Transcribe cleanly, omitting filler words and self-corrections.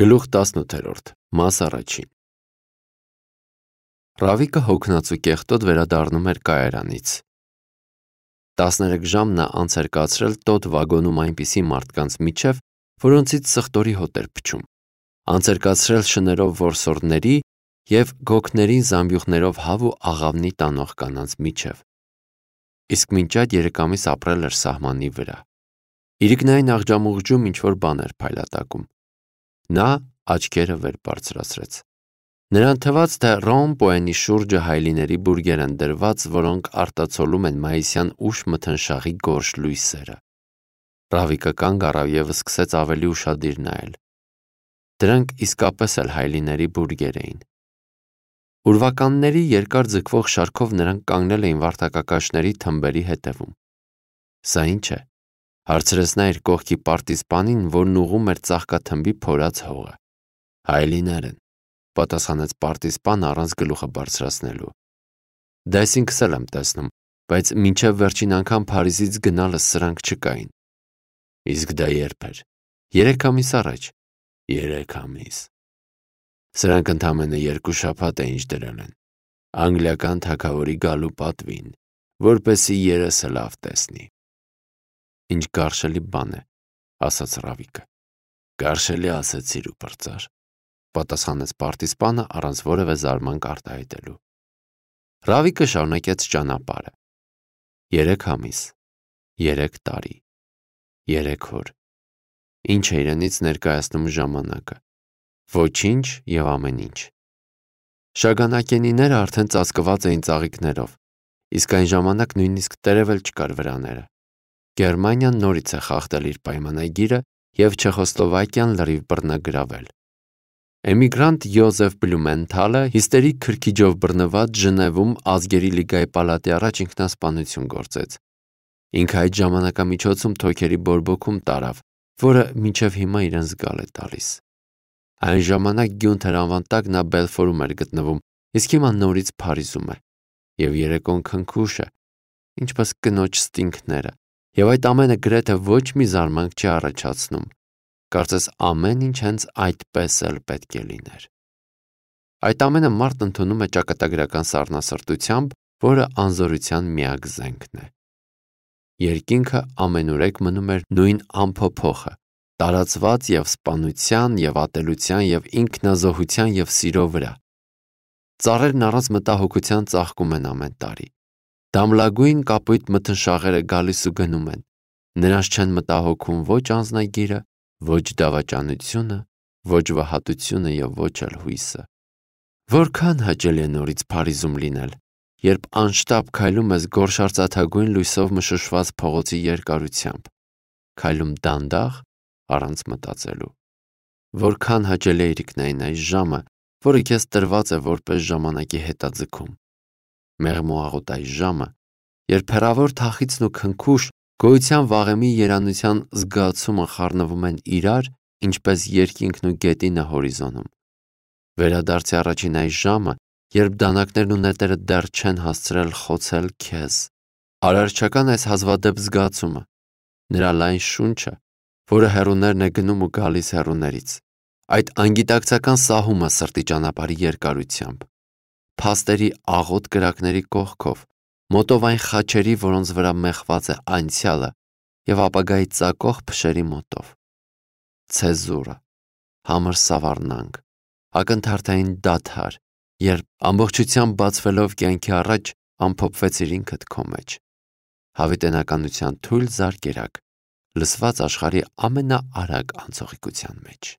Գլուխ 18 Մաս առաջին Ռավիկը հոգնած ու կեղտոտ վերադառնում էր կայարանից։ 13 ժամ նա անց էր կացրել տոտ վագոնում այնպիսի մարդկանց միջև, որոնցից սխտորի հոտ էր փչում։ Անց էր կացրել շներով որսորդների և գոգներին զամբյուղներով հավ ու աղավնի տանող կանանց միջև։ Իսկ մինչ այդ 3 ամիս ապրել էր սահմանի վրա։ Իրիկնային աղջամուղջում ինչ-որ բան էր փայլատակում։ Նա աչքերը վեր բարձրացրեց։ Նրան թվաց, թե Ռոմպոենի շուրջը հայլիների բուրգեր են դրված, որոնք արտացոլում են մայիսյան ուշ մթնշաղի գորշ լույսերը։ Ռավիկը կանգ առավ և սկսեց ավելի ուշադիր նայել։ Դրանք իսկապես էլ հայլիների բուրգեր էին։ Ուրվականների երկար ձգվող շարքով նրանք կանգնել էին վարդակակաշների թմբերի հետևում։ Սա ի՞նչ է, հարցրեց նա իր կողքի պարտիզպանին, որն ուղղում էր ծաղկաթմբի փորած հողը։ Հայլիներ են, պատասխանեց պարտիզպանը առանց գլուխը բարձրացնելու։ Դա ես ինքս էլ եմ տեսնում, բայց մինչև վերջին անգամ Փարիզից գնալս սրանք չկային։ Իսկ դա երբ էր։ 3 ամիս առաջ։ 3 ամիս։ Սրանք ընդամենը 2 շաբաթ է ինչ դրել են։ Անգլիական թագավորի գալու պատվին, որպեսզի երեսը լավ տեսնի։ Ինչ գարշելի բան է, ասաց Ռավիկը։ Գարշելի ասեցիր ու պրծար, պատասխանեց պարտիզպանը առանց որևէ զարմանք արտահայտելու։ Ռավիկը շարունակեց ճանապարհը։ 3 ամիս, 3 տարի, 3 օր։ Ինչ է իրենից ներկայացնում ժամանակը։ Ոչինչ և ամեն ինչ։ Շագանակենիները արդեն ծածկված էին ծաղիկներով, իսկ այն ժամանակ նույնիսկ տերևել չկար վրաները։ Գերմանիան նորից է խախտել իր պայմանագիրը և Չեխոսլովակիան լրիվ բռնագրավել։ Էմիգրանտ Յոզեֆ Բլյումենթալը հիստերիկ քրքիջով բռնված Ժնևում ազգերի լիգայի պալատի առաջ ինքնասպանություն գործեց։ Ինքը այդ ժամանակամիջոցում թոքերի բորբոքում տարավ, որը մինչև հիմա իրեն զգալ է տալիս։ Այն ժամանակ Գյունթեր անվան տակ նա Բելֆորում էր գտնվում, իսկ հիմա նորից Փարիզում է։ Եվ երեկոն քնքուշ է, ինչպես կնոջ ստինգները, և այդ ամենը գրեթե ոչ մի զարմանք չի առաջացնում։ Կարծես ամեն ինչ հենց այդպես էլ պետք է լիներ։ Այդ ամենը մարդ ընդունում է ճակատագրական սառնասրտությամբ, որը անզորության միակ զենքն է։ Երկինքը ամենուրեք մնում էր նույն անփոփոխը, տարածված և սպանության, և ատելության, և ինքնազոհության և սիրո վրա։ Ծառերն առանց մտահոգության ծաղկում են ամեն տարի։ Դամլագույն կապույտ մթնշաղերը գալիս ու գնում են։ Նրանց չեն մտահոգում ոչ անձնագիրը, ոչ դավաճանությունը, ոչ վհատությունը և ոչ էլ հույսը։ Որքան հաճելի է նորից Փարիզում լինել, երբ անշտապ քայլում ես գորշարծաթագույն լույսով մշուշված փողոցի երկարությամբ, քայլում դանդաղ, առանց մտածելու։ Որքան հաճելի է իրիկնային այս ժամը, որը քեզ տրված է որպես ժամանակի հետաձգում։ Մեղմ ու աղոտ այս ժամը, երբ հեռավոր թախիծն ու քնքուշ գոյության վաղեմի երանության զգացումը խառնվում են իրար, ինչպես երկինքն ու գետինը հորիզոնում։ Վերադարձի առաջին այս ժամը, երբ դանակներն ու նետերը դեռ չեն հասցրել խոցել քեզ։ Արարչական այս հազվադեպ զգացումը, նրա լայն շունչը, որը հեռուներն է գնում ու գալիս հեռուներից, այդ անգիտակցական սահումը սրտի ճանապարհի երկարությամբ, փաստերի աղոտ կրակների կողքով, մոտով այն խաչերի, որոնց վրա մեխված է անցյալը, և ապագայի ծակող փշերի մոտով։ Ցեզուրը, համր սավառնանք, ակնթարթային դադար, երբ ամբողջությամբ բացվելով կյանքի առաջ ամփոփվեցիր ինքդ քո մեջ։ Հավիտենականության թույլ զարկերակ, լսված աշխարհի ամենաարագ անցողիկության մեջ։